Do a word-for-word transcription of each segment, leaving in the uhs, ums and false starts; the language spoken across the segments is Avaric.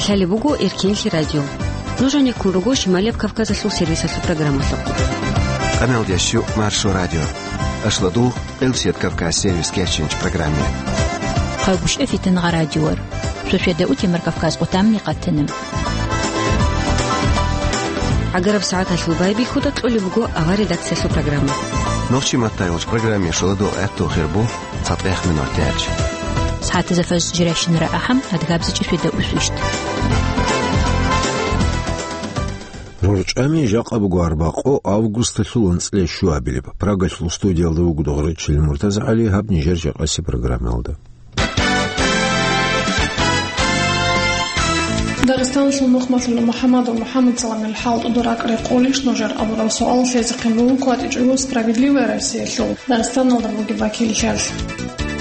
Лъалеб буго Эркенлъи радио. Нуж гьанеккун руго Шималияб Кавказалъул сервисалъул программалъухъ. Къамелдеш Маршо радио. Ашладул Къилсият Кавказ сервис кечинч программе. Хъагушев Фитнагъа радиор. Шушеда утемар Кавказ къутамни къатана. ГӀагараб сагӀаталъул байбихьуда кьолеб буго авар редакциялъул программа. Нохчи маттайолч программе шоладо гӀатту хирбу цатӀех минут тяч. СагӀатаза фаз жиращинара ахӀам, адгабзичӀи шведа усвищт. РорчӀами жакъа буго арбакъо августалъул анцӀила щуабилеб. Прагалъул студиялда вуго Дугъричил МуртазагӀали, гьаб нижер жакъаси программалда. Дагъистаналъул нухмалъула МухӀаммадов МухӀаммад Саламил хӀалтӀуда ракӀ рекъолищ нужер абурал суал лъезехъин буго КватӀичӀого «Справедливая Россиялъул» Дагъистаналда бугеб вакиллъиялъ.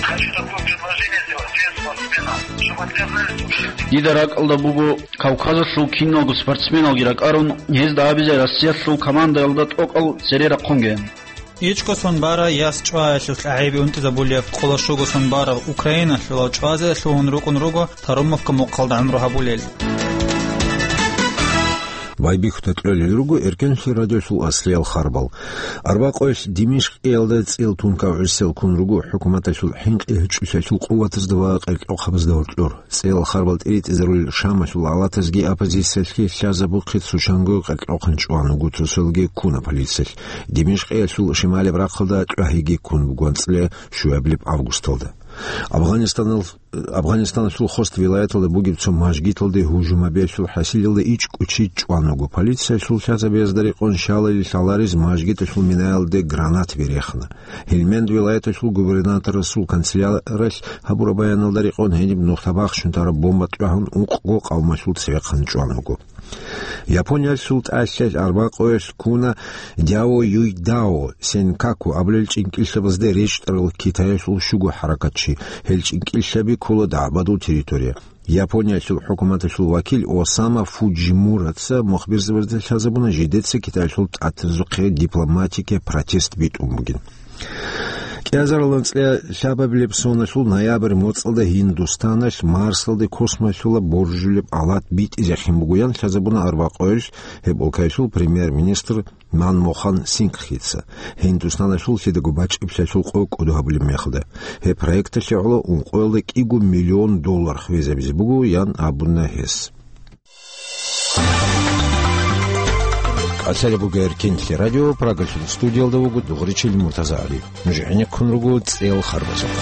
Хочу такое предложение сделать всем спортсменам, чтобы отказались от... Дида ракӀалда буго Кавказалъул киналго спортсменалги ракӀарун, гьезда абизе Россиялъул командаялда тӀокӀал цере рахъунге. Ичкосон бара яс чӀваялъулъ гӀайибе унтӀизабулев къолошугосон барав Украиналъулав чӀвазе лъугьун рукӀун руго Тарумовка мухъалда гӀумру гьабулел. Байбихьуда кьолел руго Эркенлъи радиолъул аслиял харбал. Арбакъоялъ Димишкъиялда цӀил тункав гӀисел ккун руго хӀукуматалъул хӀинкъи-гьучӀулъалъул къуватазда ва къеркьохъабазда гьоркьор. ЦӀел харбал тӀиритӀизарулел Шамалъул гӀалатазги оппозициялъги лъазабухъе цо чанго къеркьохъан чӀван вуго, цоцалги ккуна полициялъ. Димишкъиялъул шималеб рахъалда тӀагӀиги ккун буго анцӀила щуабилеб августалда. Афганистанал-, Афганистаналъул хост вилаяталда бугеб цо мажгиталде гьужум гьабиялъул хӀасилалда ичӀго чи чӀван вуго. Полициялъул лъазабиязда рекъон щалали лъаларез мажгиталъул минаялде гранатаби рехна. Гьелманд вилаяталъул губернаторасул канцеляралъ гьабураб баяналда рекъон гьениб нухда бахчун тараб бомба тӀагӀун ункъго къавмалъул цевехъан чӀван вуго. Япониялъул тӀалъал арбакъоялъ ккуна Дяо Юйдао Сенкаку абулел чӀинкӀиллъабазде речӀчӀарал Китаялъул щуго хӀаракатчи. Гьел чӀинкӀиллъаби ккола дагӀбадул территория. Япониялъул хӀукуматалъул вакил Осама Фуджимураца мухбирзабазда лъазабуна жидеца Китаялъул тӀатазухъе дипломатикая протест битӀун бугин. КӀиазарал анцӀила лъабабилеб соналъул ноябрь моцӀалда Гьиндустаналъ Марсалде космолъула боржулеб алат битӀизехин бугоян лъазабуна арбакъоялъ гьеб улкаялъул премьер-министр Манмохан Сингхица, Гьиндустаналъул лъидаго бачӀиблъалъул къо кӀодо гьабулеб мехалда. Гьеб проекталъе гӀоло ункъоялда кӀиго миллион доллар хвезабизе буго, ян абуна гьес. Къасалеб бугер Кинлъи радио, Прагалъул студиялда вуго Дугъричил Муртазагьали. Нуж гӀенеккун руго цӀел харбазухъ.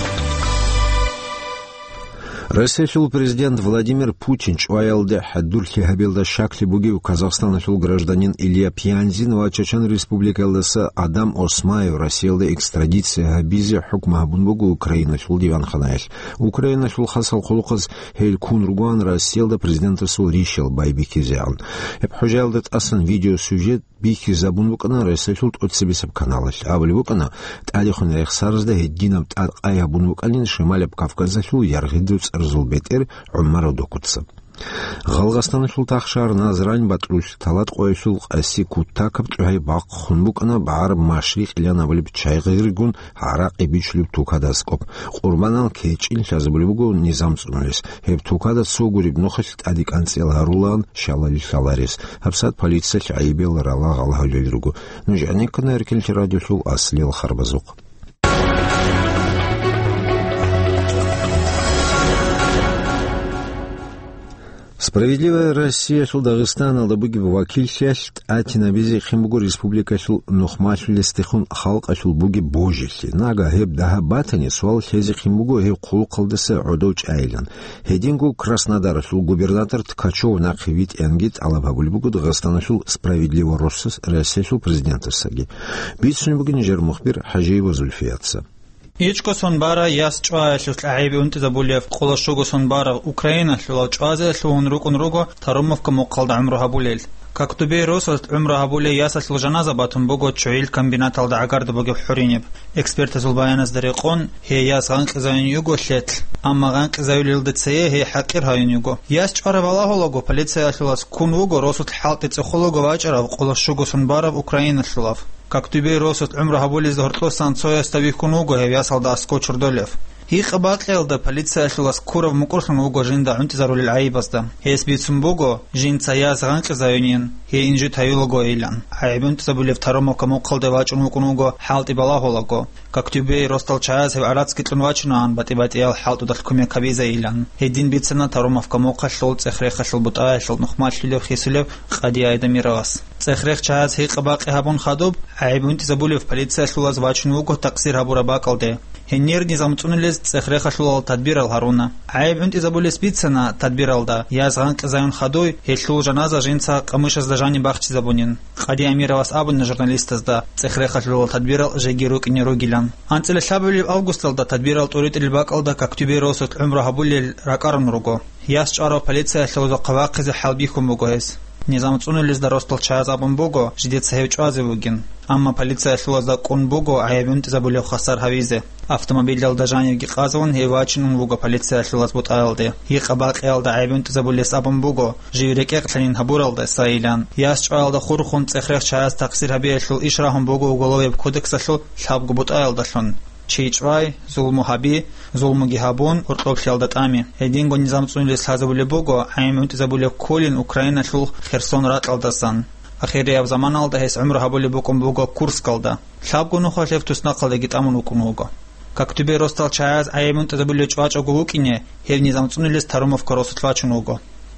Россиялъул президент Владимир Путин чӀваялде хӀадурлъи гьабиялда щаклъи бугев Казахстаналъул гражданин Илья Пьянзин ва Чечен Республикаялдаса Адам Осмаев Россиялда экстрадиция гьабизе хӀукму гьабун буго Украиналъул диванханаялъ. Украиналъул хасал хъулухъаз гьел ккун ругоан Россиялда президентасул ришал байбихьизегӀан. Гьеб хӀужаялда тӀасан видеосюжет бихьизабун букӀана Россиялъул тӀоцебесеб каналалъ. Абулеб букӀана, тӀадехун рехсаразда гьединаб тӀад къай гьабун букӀанин Шималаб Кавказалъул яргъиду цӀарзул бетӀер ГӀумар Одокоца. Гъалгъастаналъул тахшар Назрань батӀрулъ Талат къоялъул къаси кутакаб чӀухӀай бахъун букӀана БагӀараб Машрикъилан абулеб чагӀи гъиргун гӀаракъи бичулеб тукада аскӀоб. Къурбанал кечӀин лъазабулеб буго низам цӀунулес. Гьеб тукада цо гуреб нухалъ тӀаде кӀанцӀил гьарулаан щалали лъаларес. ГьабсагӀат полициялъ гӀайибил ралагъал гьавлел руго. Нуж гӀенеккана Эркенлъи радиолъул аслиял харбазухъ. «Справедливая Россиялъул» Дагъистаналда бугеб вакиллъиялъ тӀатинабизе хин буго республикалъул нухмалъулесдехун халкъалъул бугеб божилъи. Нага гьеб дагьаб батани, суал лъезе хин буго гьеб хъулухъалдаса гӀодов чӀайилан. Гьединго Краснодаралъул губернатор Ткачев нахъе витӀиянги тӀалаб гьабулеб буго Дагъистаналъул «Справедливая Россиялъул» президентасаги. Бицунеб бугин нижер мухбир ХӀажиева Зульфияца. ИчӀго сон бара яс чӀваялъулъ гӀайибе унтӀизабулев къоло щуго сон барав Украиналъулав чӀвазе лъугьун рукӀун руго Тарумовка мухъалда гӀумру гьабулел. Коктубей росулъ гӀумру гьабулей ясалъул жаназа батун буго чугӀил комбинаталда гӀагарда бугеб хӀуриниб. Экспертазул баяназда рекъон, гьей яс гъанкъизавин йуго лъелъ, амма гъанкъизавилелда цее гьей хӀакъир гьавин йуго. Яс чӀвараб балагьулаго, полициялъулас ккун вуго росулъ хӀалтӀи цӀехолаго вачӀарав къоло щуго сон барав украиналъулав. Коктубей росулъ гӀумру гьабулезда гьоркьосан цоясда вихьун вуго гьев ясалда аскӀов чордолев. Гьикъа-бакъиялда полициялъул аскурав мукӀурлъун вуго жинда гӀунтӀизарулел гӀайибазда. Гьес бицун буго, жинца яс гъанкъизаюнин, гьей инжит гьаюлагойилан. ГӀайиб гӀунтӀизабулев Таромовка мухъалде вачӀун вукӀун вуго хӀалтӀи балагьулаго. Коктюбей росдал чагӀаз гьев гӀарацги кьун вачунаан батӀи-батӀиял хӀалтӀудалъ кумек гьабизайилан. Гьедин бицана Таромовка мухъалъул цӀех-рехалъул бутӀаялъул нухмалъулев хисулев Къади Айдамировас. ЦӀех-рех чагӀаз гьикъа-бакъи гьабун хадуб, гӀайиб гьунтӀизабулев полициялъулаз вачун вуго такъсир гьабураб бакӀалде. Гьенир низам цӀунулез цӀех-рехалъулал тадбирал гьаруна. ГӀайиб гьунтӀизабулес бицана тадбиралда, яз гъанкъизаюн хадуй, гьелъул жаназа жинца къамышазда жаниб бахчизабунин. Къади Амировас абуна журналистазда цӀех-рехалъулал тадбирал жеги рукӀине ругилан. АнцӀила лъабабилеб августалда тадбирал тӀуритӀулел бакӀалда Коктюбей росулъ гӀумру гьабулел ракӀарун руго. Яс чӀварав полициялъул узухъа вахъизе хӀалбихьун буго гьес. Низам цӀунулезда росдал чагӀаз абун буго, жидеца гьев чӀвазе вугин. Амма полициялъулазда кӀун буго гӀайиб гьунтӀизабулев хвасар гьавизе. Автомобилалда жанивги къазун гьев вачинун вуго полициялъулаз бутӀаялде. Гьикъа-бакъиялда гӀайиб гьунтӀизабулес абун буго, жив рекӀекълъанин гьабуралдасайилан. Яс чӀваялда хурхун цӀех-рех чагӀаз такъсир гьабиялъул иш рагьун буго Уголовеб кодексалъул лъабго бутӀаялдалъун. Чи чӀвай, зулму гьаби, зулмуги гьабун, гьоркьоблъиялда тӀами. Гьединго низам цӀунулес лъазабулеб буго гӀайиб гьунтӀизабулев Колин Украиналъул Херсон ракьалдасан. Ахирияб заманалда гьес гӀумру гьабулеб букӀун буго Курскалда. Лъабго нухалъ гьев туснахъалдаги тӀамун вукӀун вуго. Коктюбей росдал чагӀаз гӀайиб гьунтӀизабулев чӀвачӀого вукӀине, гьев низам цӀунулес Таромовка росулъ вачун вуго.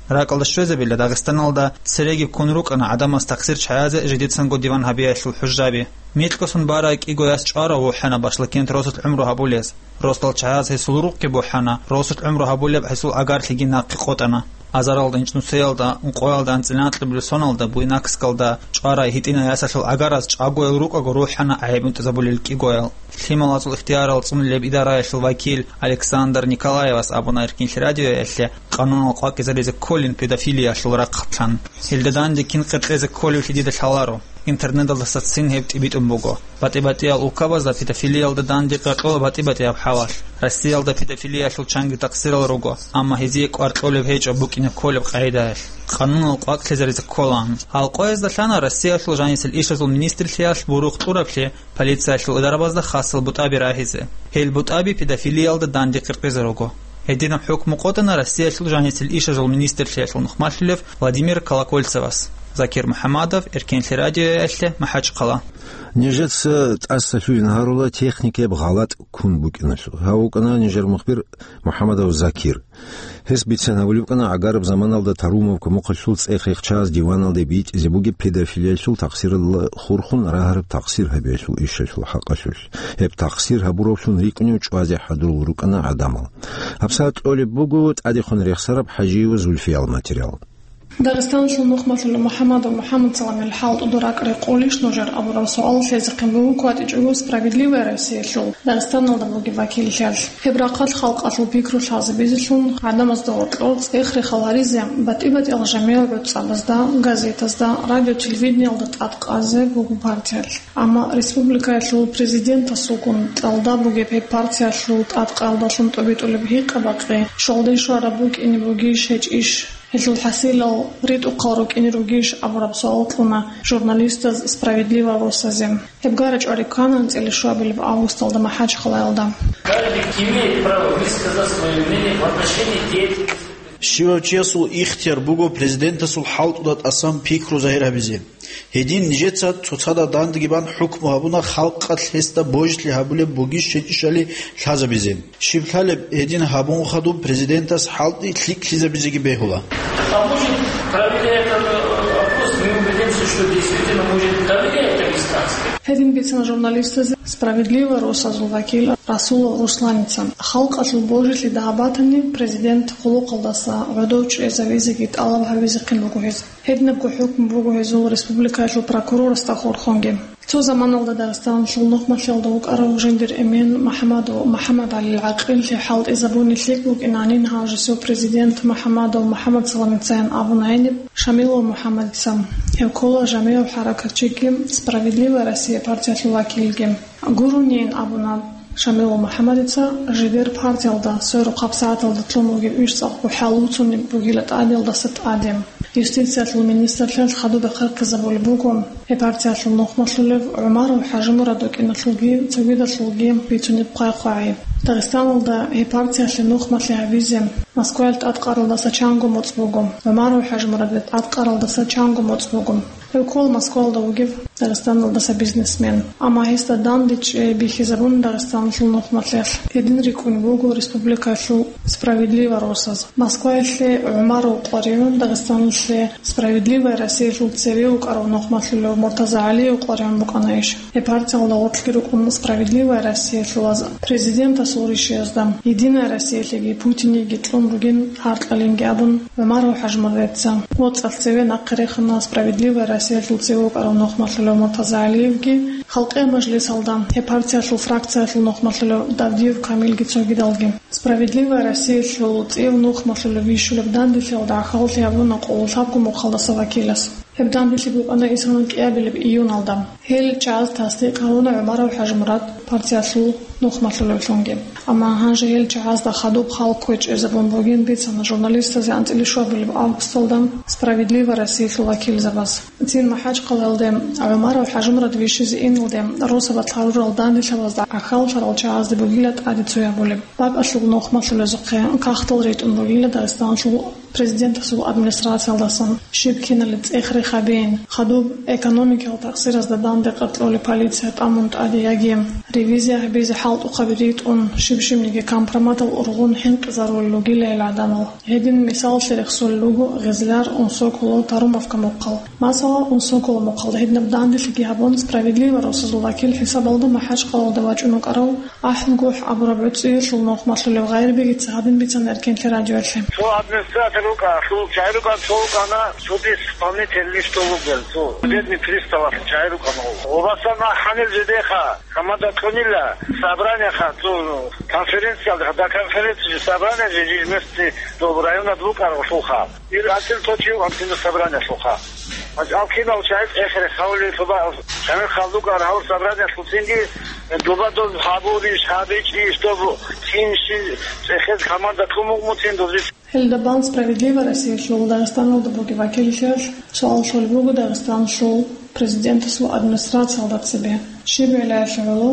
РакӀалда щвезабила Дагъистаналда цереги ккун рукӀана гӀадамаз такъсир чагӀазе жидецанго диван гьабиялъул хӀужжаби. Микьго сон барай кӀиго яс чӀварав вухӀана Башлакент росулъ гӀумру гьабулез. Росдал чагӀаз гьесул рукъги бухӀана, росулъ гӀумру гьабулеб гьесул агарлъиги нахъе къотӀана. Азаралда, инчӀнусеялда, ункъоялда, анцӀила анкьабилеб соналда, Буйнакскалда чӀварай гьитӀинай ясалъул агараз чӀагоял рукӀаго рухӀана гӀайиб гьунтӀизабулел кӀигоял. Лъималазул ихтияр цӀунулеб идараялъул вакил Александр Николаевас абуна Эркинлъи радиоялъе, къанунал къвакӀизаризе кколин педофилиялъул рахъалъан. Гьелда данде кин къеркьезе кколевлъи дида лъаларо. Интернеталдасацин гьеб тӀибитӀун буго. БатӀи-батӀиял улкабазда педофилиялда данде къеркьола батӀи-батӀияб хӀалалъ. Россиялда педофилиялъул чанги такъсирал руго, амма гьезие кӀвар кьолеб гьечӀо букӀине кколеб къагӀидаялъ. Къанунал къвакӀлъизаризе кколаан. Гьал къоязда лъана Россиялъул жанисел ишазул министрлъиялъ бурухъ кьураблъи полициялъул идарабазда хасал бутӀаби рагьизе. Гьел бутӀаби педофилиялда данде къеркьезе руго. Гьединаб хӀукму къотӀана Россиялъул жанисел ишазул министрлъиялъул нухмалъулев Владимир Колокольцевас. Закир МухӀамадов, Эркенлъи радиоялъе, МахӀачхъала. Нижеца тӀасалъугьин гьарула техникаяб гъалатӀ ккун букӀиналъул. Гьав вукӀана нижер мухбир МухӀамадов Закир. Гьес бицен гьабулеб букӀана гӀагараб заманалда Тарумовка мухъалъул цӀех-рехчаз диваналде битӀизе бугеб педофилиялъул такъсиралда хурхун рагьараб такъсир гьабиялъул ишалъул хӀакъалъулъ. Гьеб такъсир гьабуравлъун рикӀкӀунев чӀвазе хӀадурал рукӀана гӀадамал. ГьабсагӀат кьолеб буго тӀадехун рехсараб ХӀажиева Зульфиял материал. Дагъистаналъул нухмалъулев МухӀамадов МухӀамадсаламил хӀалтӀуда ракӀ рекъолищ нужер абураб суал лъезехъин буго кватӀичӀого «Справедливая Россиялъул» Дагъистаналда бугеб вакиллъиялъ. Гьеб рахъалъ халкъалъул пикру лъазабизелъун, гӀадамазда гьоркьор цӀех-рехал гьаризе, батӀи-батӀиял жамигӀ гӀуцӀабазда, газетазда, радио-телевидениялда тӀадкъазе буго партиялъ. Амма республикаялъул президентасулгун кьалда бугеб гьеб партиялъул тӀадкъаялдалъун тӀобитӀулеб гьикъа-бакъи щолдин щвараб букӀине бугищ гьечӀищ? Гьелъул хӀасилал ритӀухъал рукӀине ругищ абураб суал кьуна журналистаз «Справедливая Россиязе». Гьеб гара чӀвари ккана анцӀила щуабилеб августалда МахӀачхъалаялда. Каждый имеет право высказать своё мнение в отношении деятельности. Щивав чиясул ихтияр буго президентасул хӀалтӀуда тӀасан пикру загьир гьабизе. Гьедин нижеца цоцазда дандеги бан хӀукму гьабуна халкъалъ гьесда божилъи гьабулеб бугищ гьечӀищали лъазабизе. Щиб лъалеб, гьедин гьабун хадуб президентас хӀалтӀи лъикӀлъизабизеги бегьула. А может, проверяя этот, э, вопрос, мы убедимся, что действительно может доверять дагестанцам. Гьедин бицана журналистазе «Справедливая Россиязул» вакил Расулов Русланица. Халкъалъул божилъи дагьаб батани, президент хъулухъалдаса гӀодов чӀезавизеги тӀалаб гьавизехъин буго гьез. Гьединабго хӀукму буго гьезул республикаялъул прокурорасда хурхунги. Цо заманалда Дагъистаналъул нухмалъиялда вукӀарав жиндир эмен МухӀамадов МухӀамадгӀалил гӀакъиллъи хӀалтӀизабуни лъикӀ букӀинанин гьав жесул президент МухӀамадов МухӀамадсаламицаян абуна гьениб Шамилов МухӀамадица. Гьев ккола жамигӀав хӀаракатчиги «Справедливая Россия» партиялъул вакилги. Гурониин абуна Шамилов МухӀамадица, жидер партиялда сверухъаб сагӀаталда лъун бугеб иш цӀакъго хӀалуцунеб бугила тӀадеялдаса тӀаде. Юстициялъул министрлъиялъ хадуб бахъархъизабулеб буго, Гьеб партиялъул нухмалъулев ГӀумаров ХӀажимурад вукӀиналъулги цогидалъулги бицунеб хъвай-хъвагӀи. Дагъистаналда гьеб партиялъе нухмалъи гьабизе Москваялъ тӀадкъаралдаса чанго моцӀ буго, ГӀумаров ХӀажимурадил тӀадкъаралдаса чанго моцӀ буго. Гьев ккола Москваялда вугев Дагъистаналдаса бизнесмен. Амма гьесда данде чӀей бихьизабун Дагъистаналъул нухмалъиялъ. Гьедин рикӀкӀунеб буго республикаялъул «Справедливо» росаз. Москваялъе ГӀумаров къваригӀун Дагъистаналъе «Справедливая Россиялъул» цеве вукӀарав нухмалъулев Муртаза ГӀалиев къваригӀун букӀана иш. Гьеб партиялда гъоркьги рукӀун «Справедливая Россиялъулаз» президентасул ришиязда, «Единая Россиялъеги Путинеги кьун ругин гьаркьалинги», абун, ГӀумаров ХӀажимурадица. ВоцӀалъ цеве нахъе рехана «Справедливая Россиялъул» цеве вукӀарав нухмалъулев Муртаза ГӀалиевги, Халкъиял мажлисалда гьеб партиялъул фракциялъул нухмалъулев Давдиев Камилги цогидалги. «Справедливая Россиялъул» цӀив нухмалъулев вищулеб данделъиялда гӀахьаллъи гьабуна къоло лъабго мухъалдаса вакилас. Гьеб данделъи букӀана исана кӀиабилеб июналда. Гьел чагӀаз тасдикъ гьабуна ГӀумаров ХӀажимурад партиялъул нухмалъулевлъунги. Амма гьанже гьел чагӀазда хадуб хал кквечӀезабун бугин бицана журналистазе анцӀила щуабилеб августалда «Справедливая Россиялъул» вакилзабаз. Цин МахӀачхъалаялде ГӀумаров ХӀажимурад вищизе иналде росабалъ гьарурал данделъабазда гӀахьаллъарал чагӀазде бугила тӀаде цо гьабулеб. БакӀалъул нухмалъулезухъе кагътал ритӀун бугила Дагъистаналъул президентасул администрациялдасан, щиб кинали цӀех-рех гьабейин, хадуб экономикиял такъсиразда данде къаркьолеб полиция тӀамун тӀаде яги ревизия гьабизе хӀалтӀухъаби ритӀун, щиб-щибниги компроматал ургъун хӀинкъизарулел ругила гьел гӀадамал. Гьедин мисаллъи рехсолел руго Гъезлияр, Унсоколо, Тарумовка мухъал. Масала, Унсоколо мухъалда гьединаб данделъиги гьабун, «Справедливо» росазул вакил хӀисабалда МахӀачхъалаялда вачӀун вукӀарав АхӀулгохӀ абураб гӀуцӀиялъул нухмалъулев Гъайрбегица гьадин бицана Эркенлъи радиоялъе. Цо администратор вукӀа, цо чагӀи рукӀан, цо вукӀана судист исполнитель, ниш дов вугел, цо судебный приставалъ чагӀи рукӀана. Гъобасан ахӀанил жидеха, хамада кьунила, собраниеха, цо конференциялда, да конференция, собрание же межместный дов районад вукӀаралъулха. Ил анцӀил точив анцӀила собраниялъулха. Алкинал чагӀи цӀехере хавли лъуба, чагӀи халдукӀар гьав собраниялъул цинги, дуба доб гьабурищ, гьабичӀищ, доб кинщи цӀехез команда кумугмутин дозис. Гьелда бан «Справедливая Россиялъул» Дагъистаналда бугеб вакиллъиялъ суал щолеб буго Дагъистаналъул президентасул администрациялда цебе. Щиб гӀиллаялъе гӀоло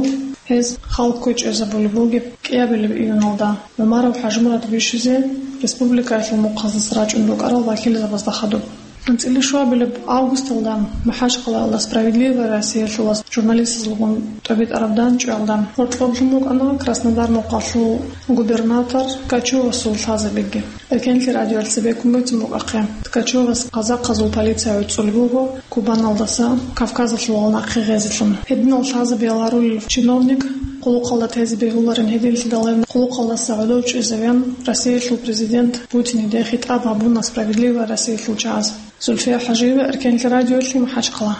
гьез хал кквечӀезабулеб бугеб кӀиабилеб июналда ГӀумаров ХӀажимурад вищизе республикаялъул мухъаздаса рачӀун рукӀарал вакилзабазда хадуб. АнцӀила щуабилеб августалда МахӀачхъалаялда «Справедливая Россиялъулас» журналистазулгун тӀобитӀараб данчӀваялда гьоркьоблъун букӀана Краснодар мухъалъул губернатор Ткачевасул лъазабиги. Эркенлъи радиоялъ цебеккун буцин букӀахъе, Ткачевас казахъазул полиция гӀуцӀулеб буго Кубаналдаса Кавказалъувал нахъе гъезелъун. Гьединал лъазабиял гьарулел чиновник къулухъалда тезе бегьуларин гьединлъидал гьев къулухъалдаса гӀодов чӀезавин, Россиялъул президент Путиниде хитӀаб гьабуна «Справедливая Россиялъул» чагӀаз. Зульфия ХӀажиева, Эркенлъи радиоялъе, МахӀачхъала.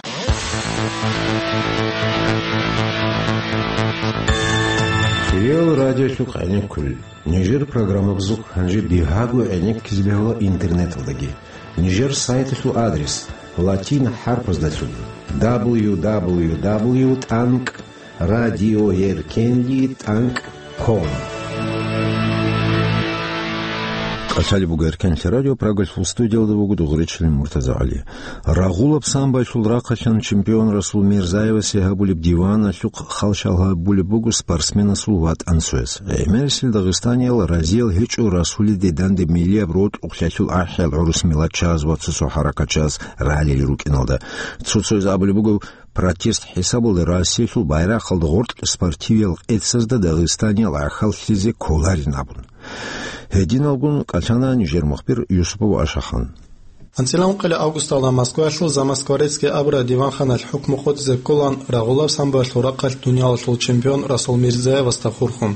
Реал радиолъухъ гӀенеккулел. Нижер программабазухъ гьанже бигьаго гӀенеккизе бегьула интернеталдаги. Нижер сайталъул адрес латин хӀарпаздалъун: дабл ю дабл ю дабл ю тӀанкӀ радиоеркенлъи тӀанкӀ ком. КӀалъалеб буго Эркенлъи радио, Прагалъул студиялда вуго дугъричилин Муртаза ГӀали. Рагъулаб самбоялъул рахъалъан чемпион Расул Мирзаевасе гьабулеб диваналъухъ халщал гьабулеб буго спортсменасул ватӀан цояс. ГӀемерисел дагъистаниял разиял гьечӀо Расулиде данде миллияб рокьукълъиялъул ахӀиял гӀурус миллатчагӀаз ва цо-цо хӀаракатчагӀаз рагӀалил рукӀиналда. Цо-цояз абулеб буго, протест хӀисабалда Россиялъул байрахъалда гъоркь спортивиял къецазда дагъистаниял гӀахьаллъизе кколарин абун. Гьединалгун кӀалъана нижер мухбир Юсупов Ашахан. АнцӀила ункъилеб августалда Москваялъул «Замоскворецкий» абураб диванханалъ хӀукму къотӀизе кколаан рагъулаб самбоялъул рахъалъ дуниялалъул чемпион Расул Мирзаевасда хурхун.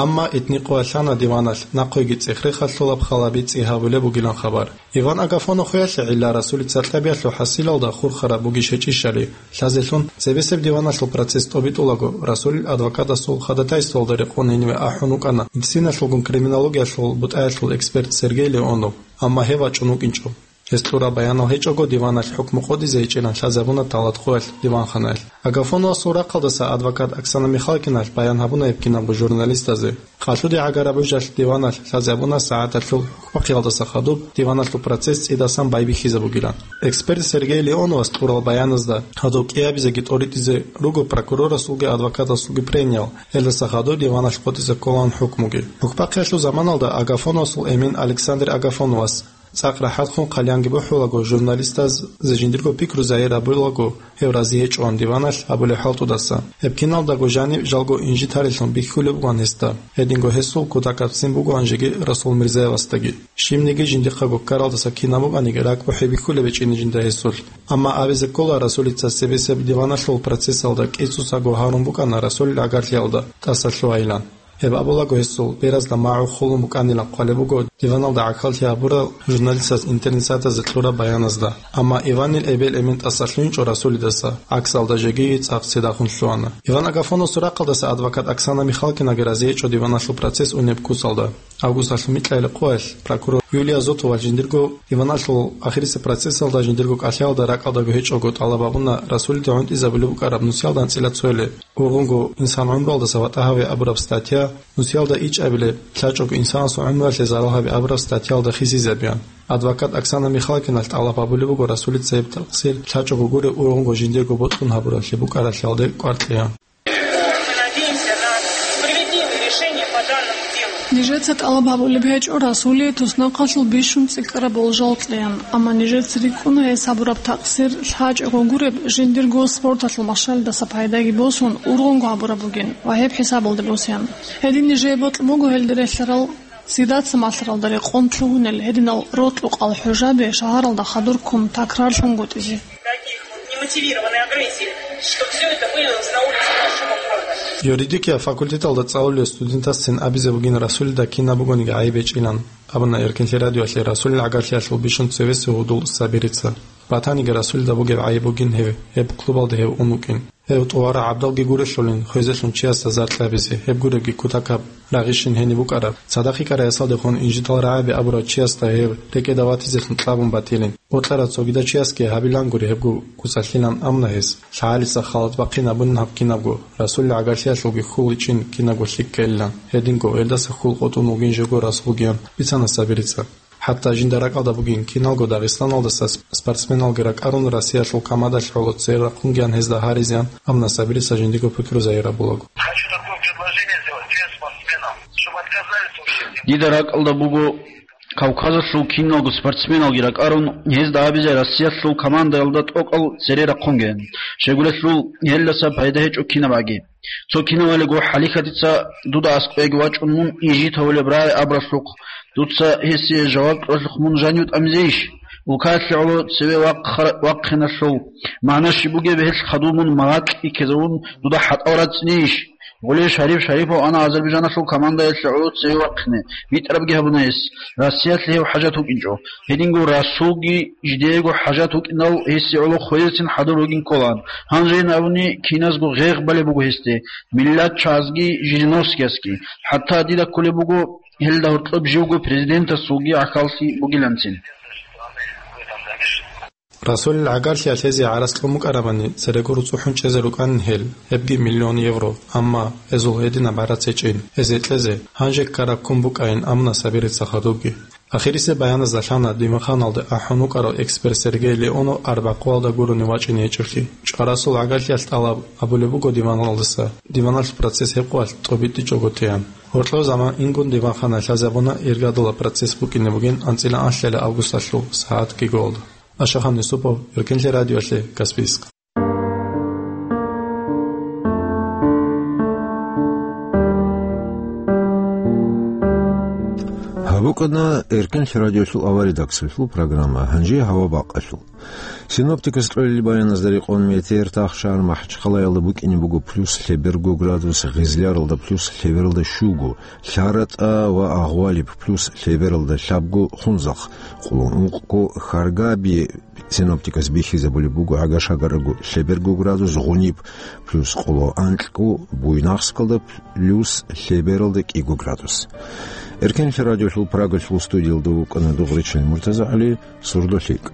Амма итни къоялъана диваналъ нахъеги цӀех-рехалъулаб халаби цӀи гьабулеб бугилан хабар. Иван Агафонов хвеялъе гӀилла Расулица кьабиялъул хӀасилалда хурхараб бугищ гьечӀищали, лъазелъун цебесеб диваналъул процесс тӀобитӀулаго, Расулил адвокатасул ходатайствоялда рекъон гьениве ахӀун вукӀана медициналъулгун криминологиялъул бутӀаялъул эксперт Сергей Леонов, амма гьев вачӀун вукӀинчӀо. Гьес кьураб баянал гьечӀого диваналъ хӀукму къотӀизе гьечӀилан лъазабуна Талат-Хъуялъ диванханаялъ. Агафоновасул рахъалдаса адвокат Оксана Михалкиналъ баян гьабуна гьеб кинабго журналистазе. Къалъуде гӀагараб гӀужалъ диваналъ лъазабуна сагӀаталъул хӀукмахъиялдаса хадуб диваналъул процесс цӀидасан байбихьизабугилан. Эксперт Сергей Леоновас кьурал баяназда гьадуб кӀиабизеги тӀоритӀизе руго прокурорасулги адвокатасулги прениеял, гьелдаса хадуб диваналъ къотӀизе кколаан хӀукмуги. ХӀукмахъиялъул заманалда Агафоновасул эмен Александр Агафоновас цӀакъ рахӀатхун хъалиянги бухӀулаго, журналистазда жиндирго пикру загьир гьабулаго, гьев рази гьечӀоан диваналъ гьабулеб хӀалтӀудаса. Гьеб киналдаго жаниб жалго инжитарилъун бихьулеб бугоан гьесда. Гьединго гьесул кутакабцин бугоан жеги Расул Мирзаевасдаги. Щибниги жиндихъаго ккаралдаса кинаб букӀаниги ракӀбухӀи бихьулеб гьечӀин жинда гьесулъ. Амма абизе ккола, Расулица цебесеб диваналъул процессалда кӀицӀусаго гьарун букӀана Расулил гӀагарлъиялда тӀасалъугьайилан. Гьеб абулаго гьесул беразда магӀу хулун букӀанилан хъвалеб буго диваналда гӀахьаллъи гьабурал журналистаз интернетсайтазда кьураб баяназда. Амма Иванил эбел-эмен тӀасалъугьинчӀо Расулидаса, гӀаксалда жеги цӀакъ цидахун лъугьана. Иван Агафоновасул рахъалдаса адвокат Оксана Михалкинаги рази гьечӀо диваналъул процесс унеб куцалда. Августалъул микьайилеб къоялъ прокурор Юлия Зотова жиндирго диваналъул ахирисеб процессалда жиндирго кӀалъаялда ракӀалдаго гьечӀого тӀалаб гьабуна Расулида гӀунтӀизабулеб букӀараб нусиялда анцӀила цоялъе. Ургъунго инсан гӀумруялдаса ватӀа гьаве абураб статья, нусиялда ичӀабилеб, лъачӀого инсанасул гӀумруялъе зарал гьабе абураб статьяялда хисизабеян. Адвокат Оксана Михалкиналъ тӀалаб гьабулеб буго Расулица гьеб такъсир лъачӀого гуреб ургъунго жиндирго бокьун гьабуралъе букӀаралъиялде кӀвар кьеян. Мы надеемся на справедливое решение по данному делу. Нижеца тӀалаб гьабулеб гьечӀо Расулие туснахъалъул бищун цӀикӀкӀараб болжал кьеян, амма нижеца рикӀкӀуна гьес гьабураб такъсир лъачӀого гуреб жиндирго спорталъул машгьалдаса пайдаги босун ургъунго гьабураб бугин ва гьеб хӀисабалде босеян. Гьедин нижее бокьун буго гьелда релълъарал, цидаса малъаралда рекъон лъугьунел гьединал рокьукъал хӀужаби шагьаралда хадур ккун такрарлъунгутӀизе. Таких вот немотивированной агрессии, что всё это вылилось на улицы нашего города. Юридикиял факультеталда цӀалулев студентасцин абизе бугин Расулида кинаб бугониги гӀайиб гьечӀилан, абуна Эркинлъи радиоялъе Расулил гӀагарлъиялъул бищун цевесев гьудул Сабирица. Батаниги Расулида бугеб гӀайиб бугин гьев, гьеб клубалде гьев ун вукӀин. Гьев тӀуварагӀабдалги гурелъулин хвезелъун чиясда заркьабизе, гьеб гуребги кутакаб рагъищин гьениб букӀараб, цадахъ йикӀарай ясалдехун инжитал рагӀаби абурав чиясда гьеб рекӀеда ватизелъун кьабун батилин. Бокьарав цогидав чиясги гьабилангури гьебго куцалъилан амуна гьес. ЛъагӀалица халат бахъин абунин гьаб кинабго, Расулил гӀагарлъиялъулги хьул гьечӀин кинабго лъикӀ ккелилан. Гьединго, гьелдаса хьул къотӀун вугин жего Расулгиян бицана Сабирица. ХӀатта жинда ракӀалда бугин, киналго Дагъистаналдаса сп-, спортсменалги ракӀарун Россиялъул командалъ гӀоло цере рахъунгиян гьезда гьаризеян, амма Сабирица жиндиго пикру загьир гьабулаго. Хочу такое предложение сделать всем спортсменам, чтобы отказались вообще. Дида ракӀалда буго Кавказалъул киналго спортсменалги ракӀарун, гьезда абизе Россиялъул командаялда тӀокӀал цере рахъунгеян. Щайгурелъул гьелдаса пайда гьечӀо кинаб аги. Цо кинавалиго хӀалихьадица дуда аскӀовеги вачӀун мун инжит гьавулеб рагӀи абуралъухъ, дуца гьесие жаваб кьолъухъ мун жанив тӀамизейищ? Улкаялъе гӀоло цеве вахъа-, вахъиналъул магӀна щиб бугеб, гьелъ хадуб мун магӀакь иккезавун дуда хӀатӀал рацӀцӀинейищ? Гъулей Шариф Шарипов ана Азербайджаналъул командаялъе гӀоло цеве вахъине, битӀарабги гьабуна гьес, Россиялъе гьев хӀажат вукӀинчӀо. Гьединго Расулги жидеего хӀажат вукӀинал гьесие гӀоло хвезецин хӀадур вугин кколаан. Гьанжейин абуни, киназго гъегъ балеб буго гьесде, миллатчагӀазги Жириновскиясги. ХӀатта дида кколеб буго, гьелда гьоркьоб живго президентасулги гӀахьаллъи бугиланцин. Расулил гӀагарлъиялъ гьезие гӀарац кьун букӀарабани, церего руцӀухӀун чӀезе рукӀанин гьел, гьебги миллион евро, амма гьезул гьединаб гӀарац гьечӀин, гьезие кьезе гьанже ккараб ккун букӀайин, амуна Сабирица хадубги. Ахирисеб баяназда лъана диванханалде ахӀун вукӀарав эксперт Сергей Леонов арбякъуялда гурони вачӀине гьечӀеблъи. ЧӀварасул гӀагарлъиялъ тӀалаб гьабулеб буго диваналдаса, диваналъул процесс гьеб къоялъ тӀобитӀичӀого теян. Гьоркьов заман ингун диванхана лъазабуна иргадулаб процесс букӀине бугин анцӀила анлъила августалъул сагӀат кӀиголда. Ашахан Юсупов, Эркинлъи радиоялъе, Каспийск. Гьаб букӀана Эркинлъи радиолъул авария редакциялъул программа, гьанже гьава бакъалъул. Синоптикас кьолел баяназда рекъон метеор тахшагьар МахӀачхъалаялда букӀине буго плюс лъеберго градус, Гъизляралда плюс лъебералда щуго, ЛъаратӀа ва Агъвалиб плюс лъебералда лъабго, Хунзахъ къулун ункъго, Харгаби синоптикас бихьизабулеб буго гӀага-шагарго лъеберго градус, Гъуниб плюс къуло анкьго, Буйнакскалда плюс лъебералда кӀиго градус. Эркенлъи радиолъул Прагалъул студиялда вукӀана дугъричӀел МуртазагӀали, «Сурдулъикъ».